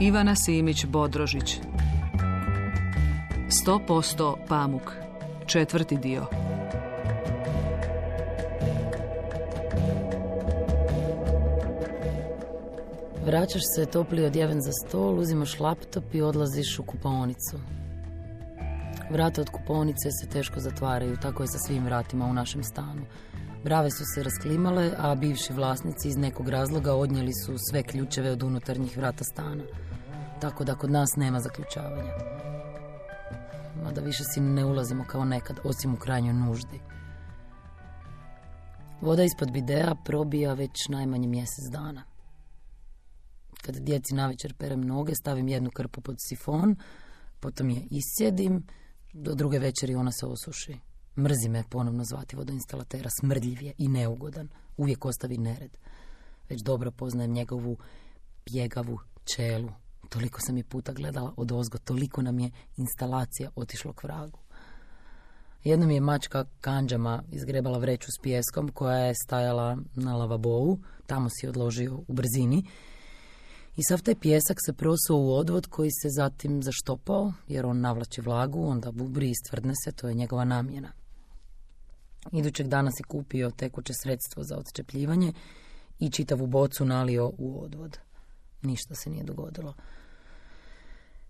Ivana Simić-Bodrožić. 100% pamuk. 4. dio. Vraćaš se topli odjeven za stol, uzimaš laptop i odlaziš u kupaonicu. Vrata od kupaonice se teško zatvaraju, tako je sa svim vratima u našem stanu. Brave su se rasklimale, a bivši vlasnici iz nekog razloga odnijeli su sve ključeve od unutarnjih vrata stana. Tako da kod nas nema zaključavanja. Mada više si ne ulazimo kao nekad, osim u krajnjoj nuždi. Voda ispod bidea probija već najmanje mjesec dana. Kad djeci navečer perem noge, stavim jednu krpu pod sifon, potom je iscijedim, do druge večeri ona se osuši. Mrzi me ponovno zvati vodoinstalatera, smrdljiv je i neugodan. Uvijek ostavi nered. Već dobro poznajem njegovu pjegavu čelu. Toliko sam je puta gledala odozgo, toliko nam je instalacija otišlo k vragu. Jednom je mačka kandžama izgrebala vreću s pijeskom koja je stajala na lavabou, tamo si odložio u brzini. I sav taj pijesak se prosuo u odvod koji se zatim zaštopao, jer on navlači vlagu, onda bubri i stvrdne se, to je njegova namjena. Idućeg dana si kupio tekuće sredstvo za odščepljivanje i čitavu bocu nalio u odvod. Ništa se nije dogodilo.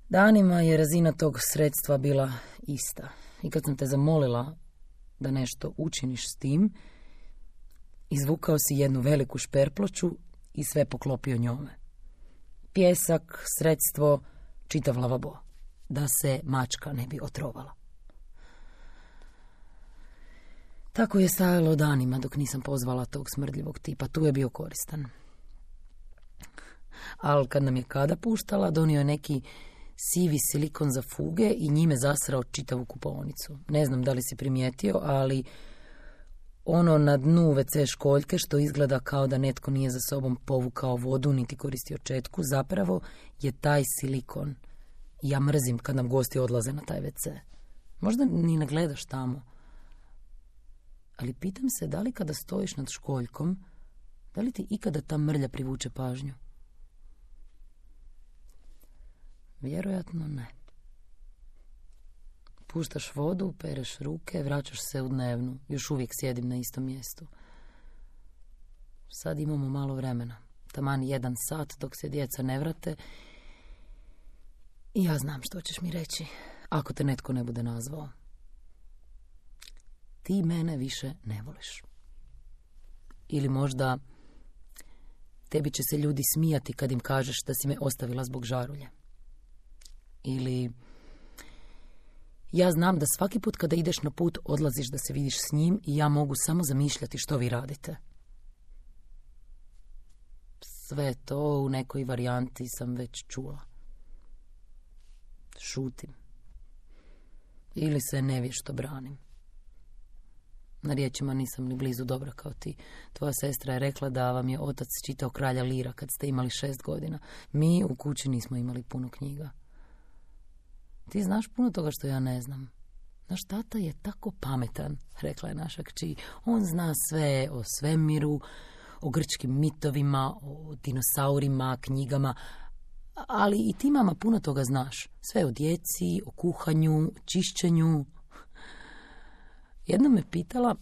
Danima je razina tog sredstva bila ista. I kad sam te zamolila da nešto učiniš s tim, izvukao si jednu veliku šperploču i sve poklopio njome. Pijesak, sredstvo, čitav lavabo. Da se mačka ne bi otrovala. Tako je stajalo danima dok nisam pozvala tog smrdljivog tipa. Tu je bio koristan. Ali kad nam je kada puštala, donio je neki sivi silikon za fuge i njime zasrao čitavu kupaonicu. Ne znam da li si primijetio, ali ono na dnu WC školjke što izgleda kao da netko nije za sobom povukao vodu niti koristio četku, zapravo je taj silikon. Ja mrzim kad nam gosti odlaze na taj WC. Možda ni ne gledaš tamo. Ali pitam se da li kada stojiš nad školjkom, da li ti ikada ta mrlja privuče pažnju? Vjerojatno ne. Puštaš vodu, pereš ruke, vraćaš se u dnevnu. Još uvijek sjedim na istom mjestu. Sad imamo malo vremena. Taman 1 sat dok se djeca ne vrate. I ja znam što ćeš mi reći, ako te netko ne bude nazvao. Ti mene više ne voliš. Ili možda tebi će se ljudi smijati kad im kažeš da si me ostavila zbog žarulje. Ili ja znam da svaki put kada ideš na put odlaziš da se vidiš s njim i ja mogu samo zamišljati što vi radite. Sve to u nekoj varijanti sam već čula. Šutim. Ili se nevješto branim. Na riječima nisam ni blizu dobra kao ti. Tvoja sestra je rekla da vam je otac čitao Kralja Lira kad ste imali 6 godina. Mi u kući nismo imali puno knjiga. Ti znaš puno toga što ja ne znam. Naš tata je tako pametan, rekla je naša kći. On zna sve o svemiru, o grčkim mitovima, o dinosaurima, knjigama. Ali i ti, mama, puno toga znaš. Sve o djeci, o kuhanju, čišćenju. Jedna me pitala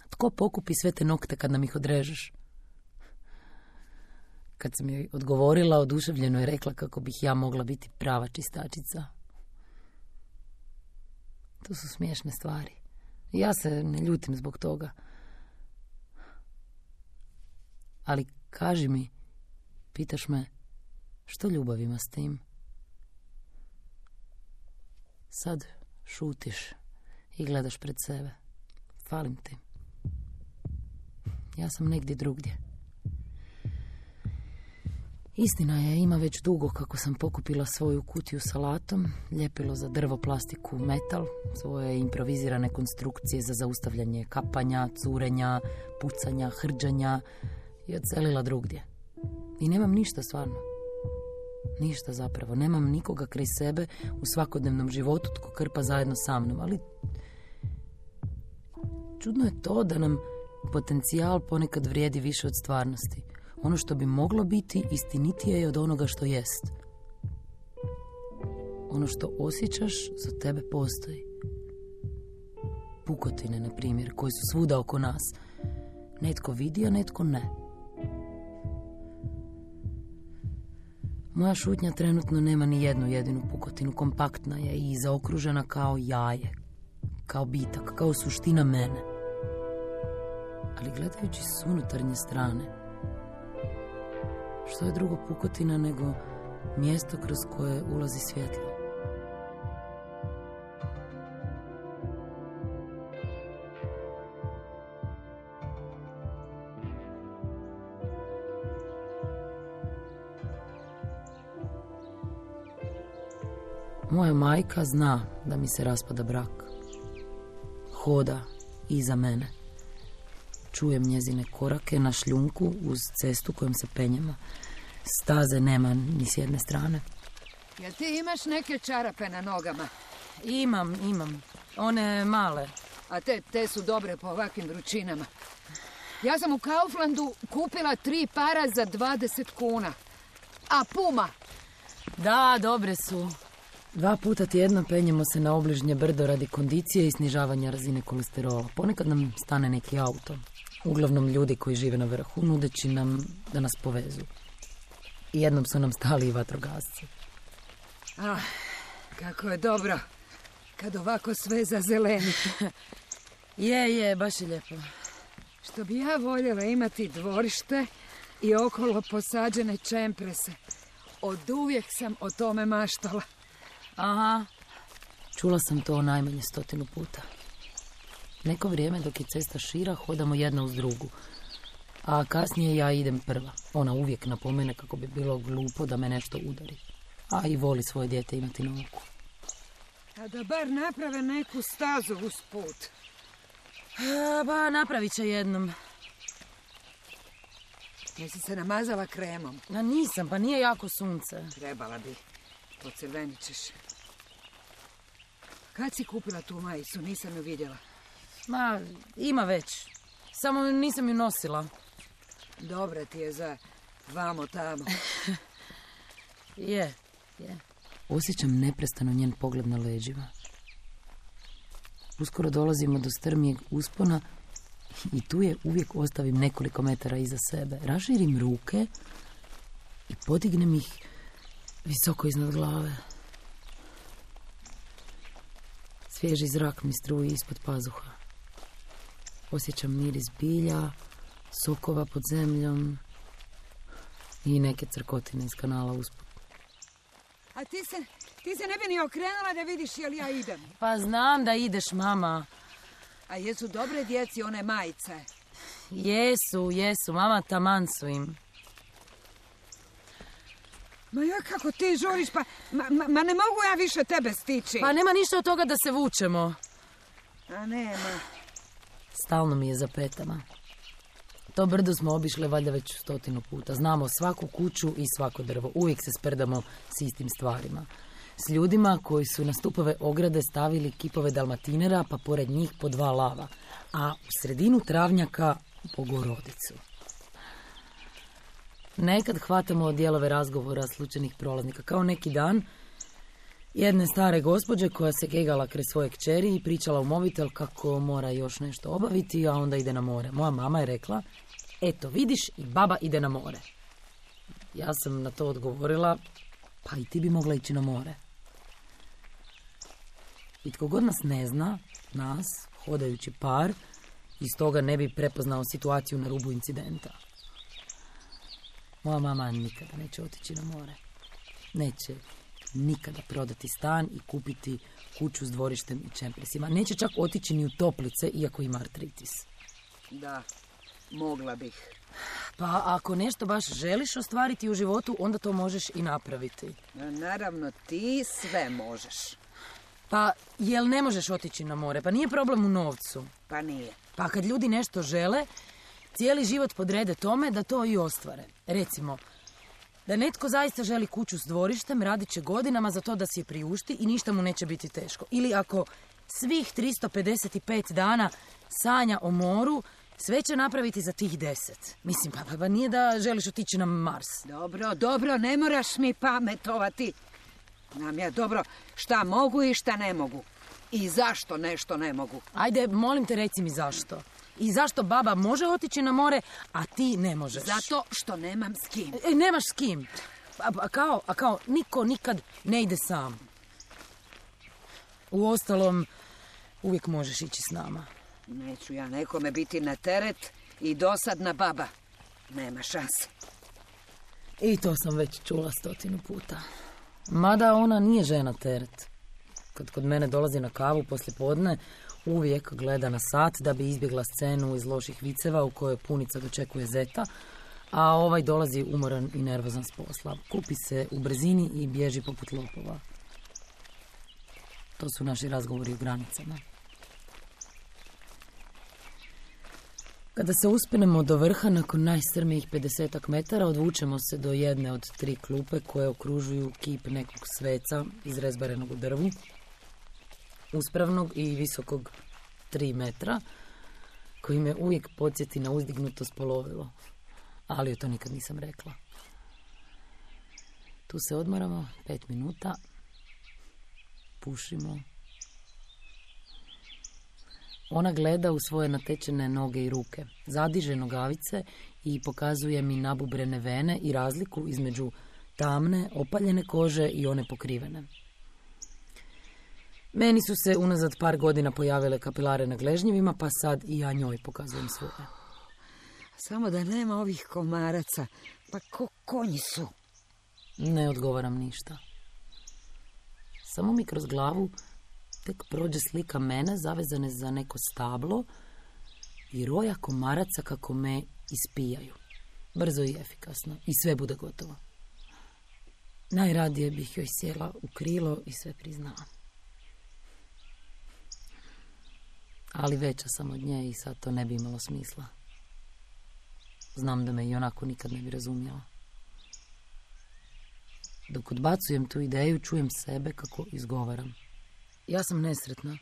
tko pokupi sve te nokte kad nam ih odrežeš. Kad sam joj odgovorila, oduševljeno je rekla kako bih ja mogla biti prava čistačica. To su smiješne stvari. Ja se ne ljutim zbog toga. Ali kaži mi, pitaš me, što ljubav ima s tim? Sad šutiš i gledaš pred sebe. Falim ti. Ja sam negdje drugdje. Istina je, ima već dugo kako sam pokupila svoju kutiju s alatom, ljepilo za drvo, plastiku, metal, svoje improvizirane konstrukcije za zaustavljanje kapanja, curenja, pucanja, hrđanja i odselila drugdje. I nemam ništa stvarno. Ništa zapravo. Nemam nikoga kraj sebe u svakodnevnom životu tko krpa zajedno sa mnom, ali čudno je to da nam potencijal ponekad vrijedi više od stvarnosti. Ono što bi moglo biti istinitije je od onoga što jest. Ono što osjećaš za tebe postoji. Pukotine, na primjer, koje su svuda oko nas. Netko vidi, a netko ne. Moja šutnja trenutno nema ni jednu jedinu pukotinu. Kompaktna je i zaokružena kao jaje. Kao bitak, kao suština mene. Ali gledajući s unutarnje strane, što je drugo pukotina nego mjesto kroz koje ulazi svjetlo? Moja majka zna da mi se raspada brak. Hoda iza mene. Čujem njezine korake na šljunku uz cestu kojom se penjemo. Staze nema ni s jedne strane. Jel ti imaš neke čarape na nogama? Imam. One male. A te su dobre po ovakvim vrućinama. Ja sam u Kauflandu kupila 3 para za 20 kuna. A Puma? Da, dobre su. 2 puta tjedno penjemo se na obližnje brdo radi kondicije i snižavanja razine kolesterola. Ponekad nam stane neki auto. Uglavnom ljudi koji žive na vrhu, nudeći nam da nas povezu. I jednom su nam stali i vatrogasci. Kako je dobro kad ovako sve zazeleni. Je, baš je lijepo. Što bi ja voljela imati dvorište i okolo posađene čemprese. Oduvijek sam o tome maštala. Aha, čula sam to najmanje 100 puta. Neko vrijeme dok je cesta šira hodamo jedna uz drugu. A kasnije ja idem prva. Ona uvijek napomene kako bi bilo glupo da me nešto udari. A i voli svoje dijete imati na oku. A da bar naprave neku stazu uz put. Ba, napravit će jednom. Jesi se namazala kremom? Nisam, pa nije jako sunce. Trebala bi. Pocrvenit ćeš. Kad si kupila tu majicu? Nisam ju vidjela. Ma, ima već. Samo nisam ju nosila. Dobra ti je za vamo tamo. Je. Osjećam neprestano njen pogled na leđima. Uskoro dolazimo do strmijeg uspona i tu je uvijek ostavim nekoliko metara iza sebe. Raširim ruke i podignem ih visoko iznad glave. Svježi zrak mi struji ispod pazuha. Osjećam miris bilja, sokova pod zemljom i neke crkotine iz kanala usput. A ti se ne bi ni okrenula da vidiš jel ja idem. Pa znam da ideš, mama. A jesu dobre djeci one majice? Jesu, mama, taman su im. Ma ja kako ti žuriš, pa ma ne mogu ja više tebe stići. Pa nema ništa od toga da se vučemo. A nema. Stalno mi je za petama. To brdo smo obišle valjda već 100 puta. Znamo svaku kuću i svako drvo. Uvijek se sprdamo s istim stvarima. S ljudima koji su na stupove ograde stavili kipove dalmatinera, pa pored njih po 2 lava. A u sredinu travnjaka Bogorodicu. Nekad hvatamo dijelove razgovora slučajnih prolaznika. Kao neki dan jedne stare gospođe koja se gegala kraj svoje kćeri i pričala u mobitel kako mora još nešto obaviti, a onda ide na more. Moja mama je rekla, eto vidiš i baba ide na more. Ja sam na to odgovorila, pa i ti bi mogla ići na more. I tko god nas ne zna, nas, hodajući par, iz toga ne bi prepoznao situaciju na rubu incidenta. Moja mama nikada neće otići na more. Neće nikada prodati stan i kupiti kuću s dvorištem i čempresima. Neće čak otići ni u toplice, iako ima artritis. Da, mogla bih. Pa ako nešto baš želiš ostvariti u životu, onda to možeš i napraviti. Naravno, ti sve možeš. Pa jel ne možeš otići na more? Pa nije problem u novcu. Pa nije. Pa kad ljudi nešto žele, cijeli život podrede tome da to i ostvare. Recimo, da netko zaista želi kuću s dvorištem, radit će godinama za to da si je priušti i ništa mu neće biti teško. Ili ako svih 355 dana sanja o moru, Sve će napraviti za tih 10. Mislim, pa nije da želiš otići na Mars. Dobro, ne moraš mi pametovati. Nam je dobro šta mogu i šta ne mogu. I zašto nešto ne mogu. Ajde, molim te, reci mi zašto. I zašto baba može otići na more, a ti ne možeš? Zato što nemam s kim. Nemaš s kim? A kao, niko nikad ne ide sam. Uostalom, uvijek možeš ići s nama. Neću ja nekome biti na teret i dosadna baba. Nema šanse. I to sam već čula 100 puta. Mada ona nije žena teret. Kad kod mene dolazi na kavu poslijepodne, uvijek gleda na sat da bi izbjegla scenu iz loših viceva u kojoj punica dočekuje zeta, a ovaj dolazi umoran i nervozan s posla. Kupi se u brzini i bježi poput lopova. To su naši razgovori o granicama. Kada se uspenemo do vrha, nakon najstrmijih 50 metara, odvučemo se do jedne od 3 klupe koje okružuju kip nekog sveca izrezbarenog u drvu, uspravnog i visokog 3 metra, koji me uvijek podsjeti na uzdignuto spolovilo, ali joj to nikad nisam rekla. Tu se odmaramo 5 minuta, pušimo. Ona gleda u svoje natečene noge i ruke, zadiže nogavice i pokazuje mi nabubrene vene i razliku između tamne, opaljene kože i one pokrivene. Meni su se unazad par godina pojavile kapilare na gležnjevima, pa sad i ja njoj pokazujem svoje. Samo da nema ovih komaraca, pa ko konji su. Ne odgovaram ništa. Samo mi kroz glavu tek prođe slika mene zavezane za neko stablo i roja komaraca kako me ispijaju. Brzo i efikasno. I sve bude gotovo. Najradije bih joj sjela u krilo i sve priznala. Ali veća sam od nje i sad to ne bi imalo smisla. Znam da me i onako nikad ne bi razumjela. Dok odbacujem tu ideju, čujem sebe kako izgovaram. Ja sam nesretna.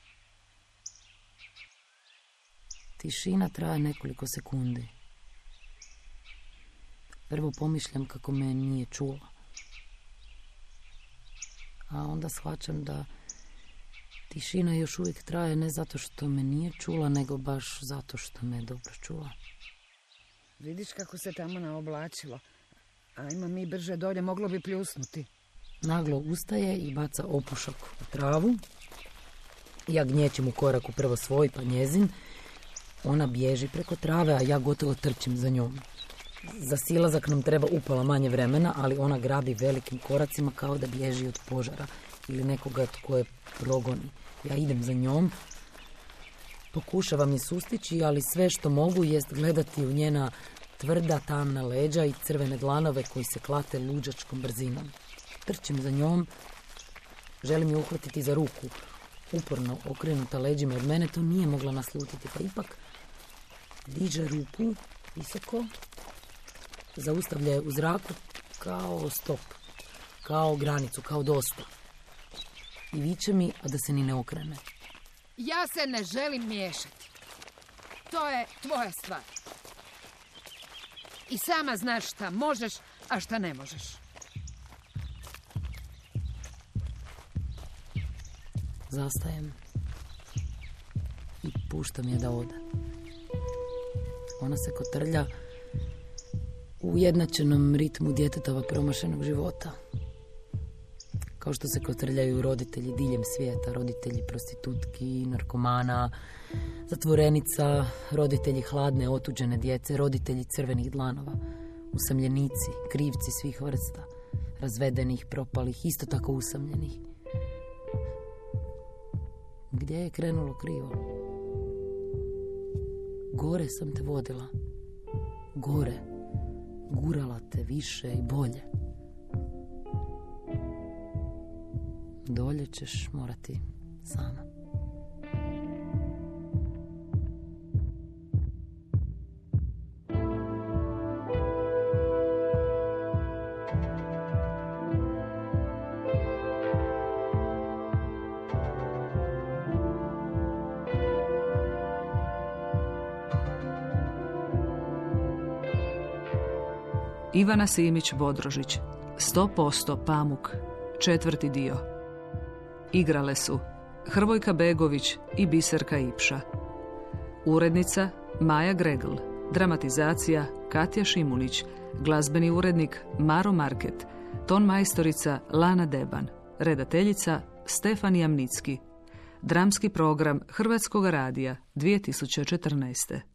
Tišina traje nekoliko sekundi. Prvo pomišljam kako me nije čula. A onda shvaćam da tišina još uvijek traje ne zato što me nije čula, nego baš zato što me dobro čula. Vidiš kako se tamo naoblačilo. Ajmo mi brže dolje, moglo bi pljusnuti. Naglo ustaje i baca opušak u travu. Ja gnječim u koraku prvo svoj pa njezin. Ona bježi preko trave, a ja gotovo trčim za njom. Za silazak nam treba upola manje vremena, ali ona grabi velikim koracima kao da bježi od požara ili nekoga tko je progoni. Ja idem za njom, pokušavam je sustići, ali sve što mogu jest gledati u njena tvrda tamna leđa i crvene dlanove koji se klate luđačkom brzinom. Trčim za njom, želim je uhvatiti za ruku. Uporno okrenuta leđima od mene, to nije mogla naslutiti, pa ipak diže ruku visoko, zaustavlja je u zraku kao stop, kao granicu, kao dosta. I viče mi, a da se ni ne okrene. Ja se ne želim miješati. To je tvoja stvar. I sama znaš šta možeš, a šta ne možeš. Zastajem i puštam je da ode. Ona se kotrlja u ujednačenom ritmu djetetova promašenog života. Kao što se kotrljaju roditelji diljem svijeta, roditelji prostitutki, narkomana, zatvorenica, roditelji hladne, otuđene djece, roditelji crvenih dlanova, usamljenici, krivci svih vrsta, razvedenih, propalih, isto tako usamljenih. Gdje je krenulo krivo? Gore sam te vodila. Gore. Gurala te više i bolje. Dolje ćeš morati sama. Ivana Simić-Bodrožić, 100% Pamuk, 4. dio. Igrale su Hrvojka Begović i Biserka Ipša. Urednica Maja Gregl, dramatizacija Katja Šimunić, glazbeni urednik Maro Market, ton majstorica Lana Deban, redateljica Stefan Jamnicki. Dramski program Hrvatskog radija 2014.